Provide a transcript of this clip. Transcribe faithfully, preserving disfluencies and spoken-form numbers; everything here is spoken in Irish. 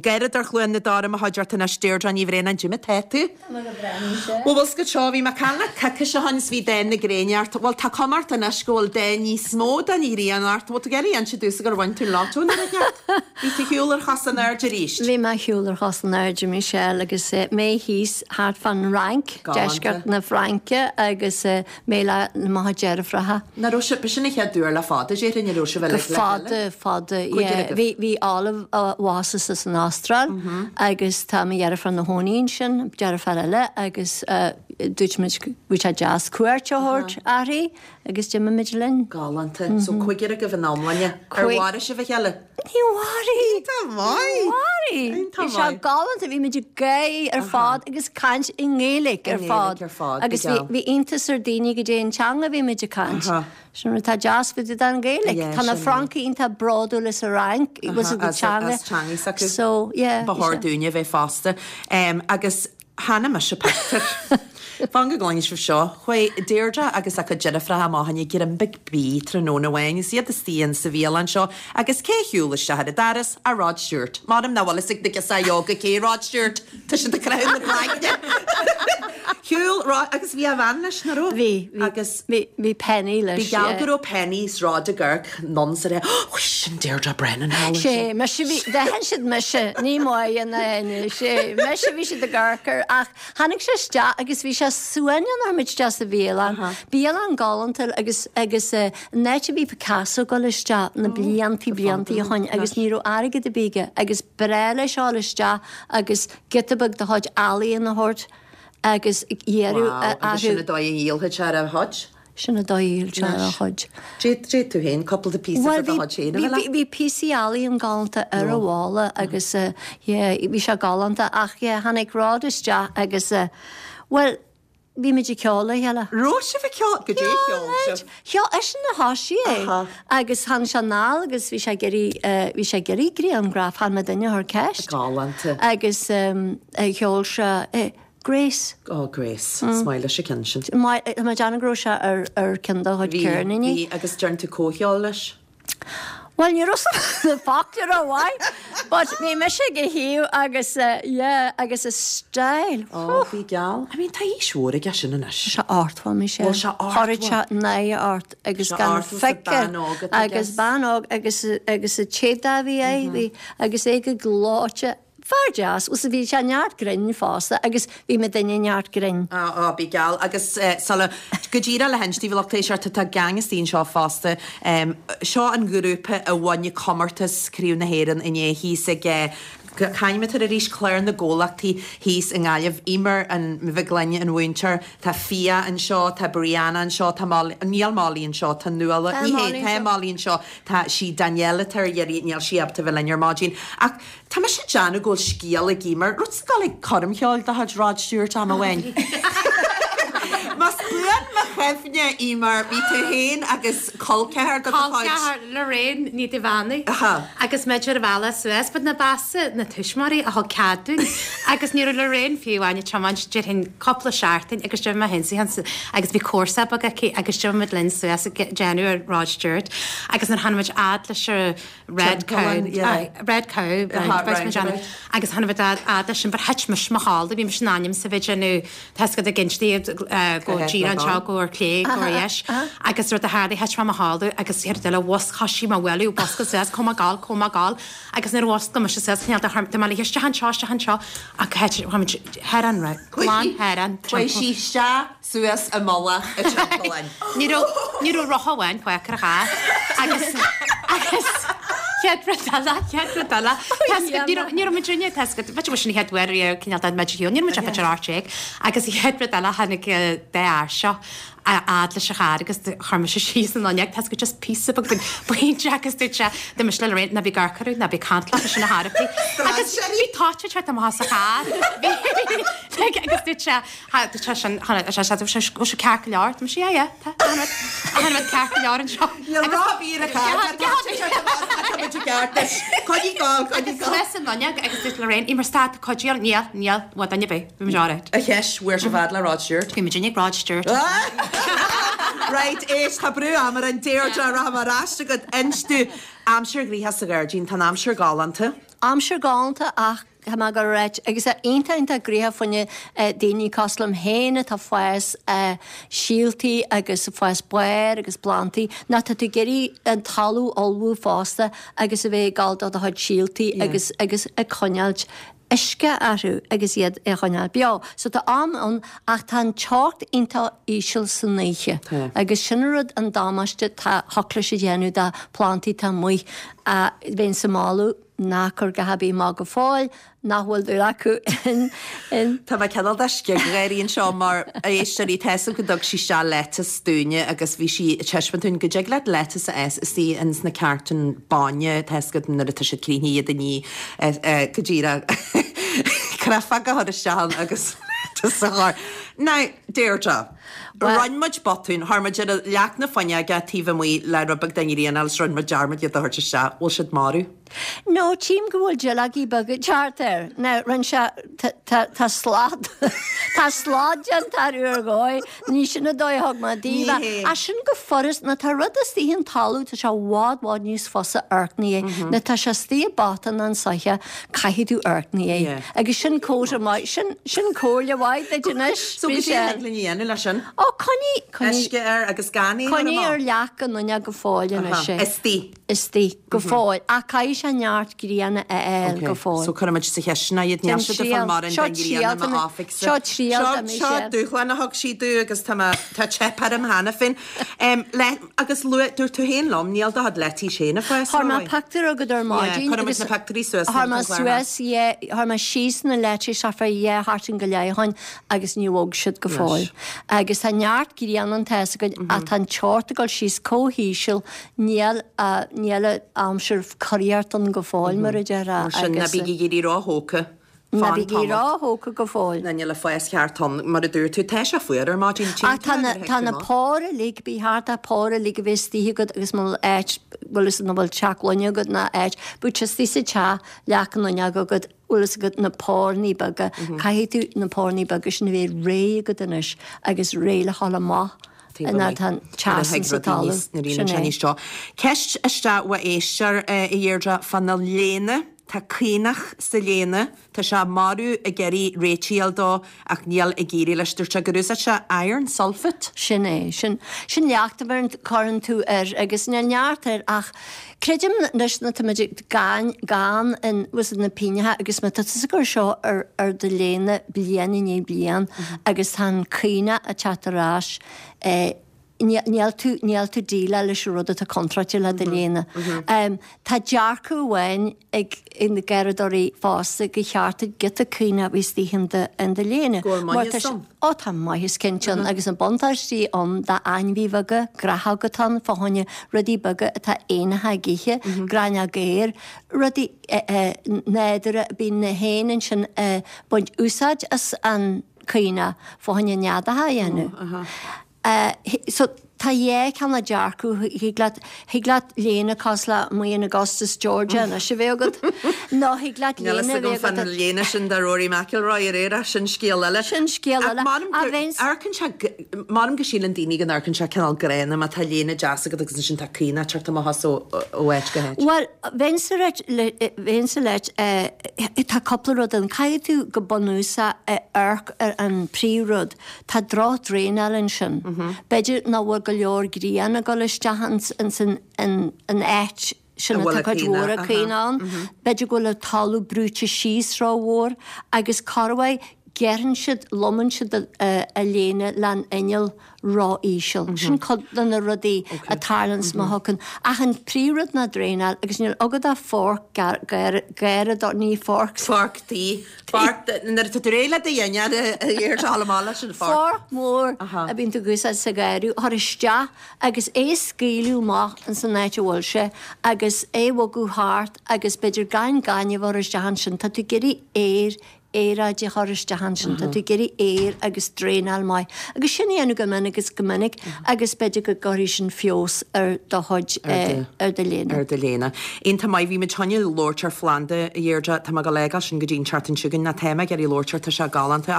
Gairid ar Chluain na Dara mo chuid ort anois Deirdre Ní Bhraonáin goidé mar tá tú. Well bhfuil go seo bhí mé ag caint leat coicís ó shin is bhí dath na gréine ort. Bhuel tá cuma ort anois go bhfuil dath níos mó den ghrian ort, Bhfuil tú ag iarraidh inse domhsa gur bhain tú an lotto nó rud inteacht? Bhí tú shiúl ar chos in airde arís. Bhí mé shiúl ar chos in airde Michelle agus eh, mé thíos thart fan Fhrainc, deisceart na Fraince agus eh, mé le mo dheirfiúracha. Na raibh sibh sin an chéad uair le fada déarfainn a raibh sibh Go fada fada bhí bhí Olive bhásaithe san Astráil agus tá mo dheirfiúr ina cónaí ansin deirfiúr eile agus dúirt muid bhí sé deas cuairt a thabhairt uirthi agus d'imigh muid linn. Galánta, so cúigear agaibh in iomláine ar mharaigh sibh a chéile. Ní mharaigh Mharaigh Bhí sé galánta bhí muid ag gáire ar fad agus caint i nGaeilge ar fad agus bhí iontas ar daoine goidé an teanga bhí muid ag caint. Sin rud atá deas fá dtaobh den Ghaeilge. Tá na Francaigh iontach bródúil as an Fhrainc was a teanga. Teanga So yeah. Ba chóir dúinne bheith fosta. Um, agus chonaic mise pictiúr. Fan go gcluinfidh sibh seo, chuaigh Deirdre agus a cuid deirfiúracha amach ag greim beag bídh tráthnóna amháin is iad istigh sa bhialann seo agus cé shiúil isteach ar an doras ach Rod Stewart. M'anam nach bhfuil fhios ag na girseachaí óga cé Rod Stewart Tá siad ag croitheadh na gcloigne. Shiúil Rod agus bhí a bhean leis nach raibh? Bhí agus bhí bhí Penny leis. Bhí geall go raibh Penny is Rod ag amharc anonn sa ré sin Deirdre Brennan Sé me bhí d'aithin siad mise ní maith na sé mise bhí siad ag amharc ach tháinig sé isteach agus bhí sé suaimhneach nuair muid isteach sa bhialann. Bialann galánta agus agus an áit a bhí Picasso dul isteach na bliantaí bliantaí ó shin agus ní raibh airgead ar bith aige agus b'fhearr leis dul isteach agus giota beag de chuid ealaíon a thabhairt agus iarraidh Agus sin an dóigh a dhíolfaidh sé ar a chuid. Sin an dóigh a dhíol sé ar a chuid. Dé tú féin cúpla de píosa de chuid féin a bhí bhí píosaí ealaíon galánta ar a bhalla agus bhí sé galánta ach tháinig Rod isteach agus well bhí muid ag ceol le chéile. Raibh sibh ag ceol goidé cheol sibh. Cheol eisean a thosaigh é agus tháinig sé anall agus bhí sé ag iarraidh bhí sé ag iarraidh grianghraf chan muidinne a chuir ceist. Galánta. Agus cheol sé Grace. Oh Grace, Is maith leis an ceann sin. Tá mé ag déanamh go raibh sé ar ar ceann dá chuid ceirníní. Bhí agus déan tú comhcheol leis? Well ní raibh na focla rómhaith, but bhí mise ag a thaobh agus yeah agus a style. Ó bhí geall. I mean tá aois mhór aige sin anois. Sé ochtó mé sé. Bhfuil sé Chuir sé náire ort agus gan fice agus bean óg agus agus a téada bhí é bhí agus é go gleoite Fear deas, us bhí sé neart grinn fosta agus bhí muidinne neart grinn. Á á bí geall agus sula go díreach le hinse daoibh lucht éisteachta tá gang istigh anseo fosta. Seo an grúpa a bhain comórtas Craobh na hÉireann inné thíos ag c'ainm atá arís Clár na gComhlachtaí thíos i nGaillimh. Emer an Mhic Gloinn an mhúinteoir, tá Fia anseo, tá Brianna anseo, tá Molly, níl Molly anseo, tá Nuala, ní hé, tá Molly anseo, tá sí Danielle atá ar iarraidh, níl sí ábalta bheith linn ar maidin. Ach tá mise ag déanamh go bhfuil scéal ag Emer, rud sa ag coirm cheoil de chuid Rod Stewart am amháin. Más buan mo chuimhne Emer, bhí tú féin agus col ceathar de do chuid. Col ceathar Lorraine Ní Duibheannaigh agus muid ar an bhealach suas, but na b'easa na tuismitheoirí a thug cead dúinn agus ní raibh Lorraine fiú amháin ag tiomáint déarfainn cúpla seachtain agus d'imigh mé féin agus bhí comharsa beag aici agus d'imigh muid linn suas ag déanamh ar Rod Stewart agus nuair tháinig muid fhad leis an Red Cow Red Cow agus tháinig muid fhad leis sin but thit mise mo chodladh bhí mise in ainm is a bheith ag déanamh tá 'fhios agat ag inse go díreach anseo go ar clé go ar dheis agus rud a tharla thit mé mo chodladh agus chéad rud eile mhuscail sí mo bhualadh bosca suas chomh maith gall chomh maith gall agus nuair a mhuscail mise suas chineál de chorm mé isteach anseo isteach anseo ach thit muid thar an glan thar an Chuaigh sí isteach suas i mullach an timpealláin. Ní raibh ní raibh rotha amháin fágtha ar a charr agus agus chéad rud eile chéad rud eile ní raibh ní raibh muid rinne tá 'fhios agat b'fhéidir sin an chéad uair riamh cineál de muid ar shiúl ní raibh muid ach b'fhéidir ocht déag agus chéad rud eile tháinig dá fhear seo a fhad leis an charr agus chuir mise síos an fhuinneog tá 'fhios agat just píosa beag pointe agus dúirt sé dúirt mise le Lorraine ná bí ag amharc orthu ná bí ag caint leo sin na harpaí agus bhí toit ag teacht amach as an charr agus dúirt sé dúirt sé sin sé sé sé sé ceart go leor tá mise yeah yeah tá tá rud ceart go leor anseo Níl rá bí ar an charr Coinnigh gall coinnigh gall. Suas an fhuinneog agus dúirt Lorraine Emer stad cuidíl níl níl bhfuil duine ar bith bhí muid alright. A cheist bhfuair sibh fhad le Rod Stewart. Bhí muid ag Rod Stewart. Right, éist tá brú ama orainn Deirdre rachaidh mé ar ais agat inis domh aimsir ghnoitheach sa ghairdín tá an aimsir galánta. Aimsir galánta ach tá mé ag ráit agus é iontach iontach gnoitheach fá choinne daoine cosúil liom féin atá fás síoltaí agus fás barr agus plantaí ná tá tú ag iarraidh an talamh a ullmhú fosta agus a bheith ag gabháil do do chuid síoltaí agus agus ag coinneáilt uisce orthu agus iad a choinneáil beo. So tá am ann ach tá an teocht iontach íseal san oíche agus sin an rud an damáiste tá thiocfadh leis a dhéanamh do plantaí atá amuigh a bheinn sa moladh ná cur go haibí maith go fóill nach bhfuil dúil acu in in Tá mé cineál de sciggháirí anseo mar a éisteoirí tá 'fhios agam go dtug sí isteach lettuce dúinne agus bhí sí ag taispeáint dúinn go dtig leat lettuce a fhás istigh ins na cartúin bainne tá 'fhios agat nuair atá siad críochnaithe iad a ní go díreach créafóg a chur isteach ann agus lettuce a chur. Now, Deirdre, rinne muid botún, chuir muid ar leac na fuinneoige taobh amuigh le rud beag den ghrian agus rinne muid dearmad iad a thabhairt isteach. Bhfuil siad marbh? No, tchím go bhfuil duilleogaí beaga teacht air. Now, rinne sé, tá, tá slad, tá slad déanta orthu ar dhóigh, ní sin an dóigh a thug mé daoibh é. Ní hé. Ach sin go furast, ná tá rud istigh an talamh, tá sé i bhfad, bhfad níos fusa amharc é. Ná tá sé istigh i bpota nó an soiche, caithfidh tú amharc é. Yeah. Agus sin comhairle maith, sin, sin comhairle mhaith duit anois. So go dtí linn a dhéanamh leis sin? Ó, coinnigh, coinnigh. Uisce air agus gan é Coinnigh ar leac an fhuinneog go fóill anois é. Istigh. Istigh, go fóill. Ach caithfidh sé neart grianna a fháil go fóill. So cuirfimid sa chistin iad níl Déan siad ag triail. fáil mórán Seo den ghrian triail do ma oifig Seo triail do Seo Michelle. dúshlán a thug sí domh agus tá mé- tá teip orm cheana féin. Um, le, agus luaigh dúirt tú féin liom níl do chuid leitís féin ag fás Chuir mé rómhaith. pictiúr agat ar maidin. cuirfimid agus na pictiúirí suas Chuir mé an chlár. suas, yeah, chuir mé síos na leitís fá dhá sheachtain go leith ó shin agus ní bhog siad go fóill. Agus tá neart grian an tá go mm tá an teocht ag dul síos chomh híseal níl a níl a aimsir curiart an go fóill mar a deirtear Mar sin ná bígí ag iarraidh róthógtha. Ná bígí róthógtha go fóill. Na níl a fás ceart ann mar a dúirt tú tá sé fuar ar maidin Ach tá na tá na póir uilig bí thart a póir uilig a bheith istigh agat agus má áit bhfuil is na bhfuil teach gloine agat ná áit, bu istigh sa teach leac an fhuinneog agat bhfuil is agat na pórnaí beaga, caithfidh tú na pórnaí beaga sin a bheith réidh agat anois agus réidh le dhul amach ná tá teas sa talamh. Sin é. seo. Ceist isteach ó éisteoir a Dheirdre fá na léine Tá caonach sa léine, Tá sé marú ag iarraidh réiteach dó ach níl ag éirí leis dúirt sé gur úsáid sé iron sulfate. Sin é, sin sin leacht a bhíonn cuireann tú air agus níl neart air ach creidim anois na táimid gan gan in was na píneatha agus má tá tusa ag cur seo ar ar do léine bliain i ndiaidh bliain agus tá an caoineadh ag teacht ar ais eh, níl tú níl tú déileáil leis an rud atá contráilte le do léine. Um, tá dearcadh amháin ag in na garraíodóirí fosta gur cheart giota caoine a bheith istigh in do in do léine. Go bhfuil Mar maitheas tá sé- ann. Ó tá maitheas cinnte ann agus an buntáistí ann d'ainmhí bheaga gnáthóga atá ann fá choinne rudaí beaga atá éanacha ag ithe, gráinneog aeir, rudaí eh, eh, nádúrtha bíonn na héin ansin eh, baint úsáid as an caoine fá choinne neadacha a dhéanamh. Uh, so tá dhá cheann le dearcadh thig leat thig leat léine cosúil le amuigh in Augustus Georgia anois a bheith agat nó thig leat Níl léine a bheith fan agat léine sin de Rory McIlroy ar éire sin scéal eile. Sin scéal eile. A bheinn- Amharcann sé mar go síleann daoine go n-amharcann sé cineál gránna má tá léine deas agat agus sin tá caoine teacht amach as ó ó áit go háit. Well, bheinnse bheinnse leat tá cúpla rud an caithfidh tú go bunúsach amharc ar an príomhrud. Tá drochdraenáil ansin. B'fhéidir nach bhfuil go leor grian ag dul isteach ins an an an áit sin A bhfuil atá a cuid caoine, mhór aha. caoine ann. B'fhéidir go bhfuil an talamh brúite síos rómhór agus corruair gearrann siad lomann siad a, a léine le an inneall ró-íseal. Sin cuid de na rudaí a tharlaíonn má thugann. Ach an príomhrud ná draenáil agus níl agad a fork garraíodóir ní fork. Fork tí Fork nuair atá tú réidh le do dhinnéar ar leis an fork. Fork mór Aha. a bíonn tú ag úsáid sa gharraí chur isteach agus é scaoileadh amach in san áit a bhfuil sé agus é bhogadh thart agus b'fhéidir gan gaineamh a chur isteach ansin tá tú ag iarraidh aer aeráid a chur isteach ansin tá tú ag iarraidh aer agus draenáil maith. Agus sin a dhéanamh go minic agus go minic agus b'fhéidir go gcuirfidh sin feabhas ar do chuid eh, ar do léine. ar do léine. Iontach maith bhí muid chun labhairt ar phlanda a Dheirdre tá go légal sin go dtí an tseachtain seo chugainn na téama ar i labhairt tá sé galánta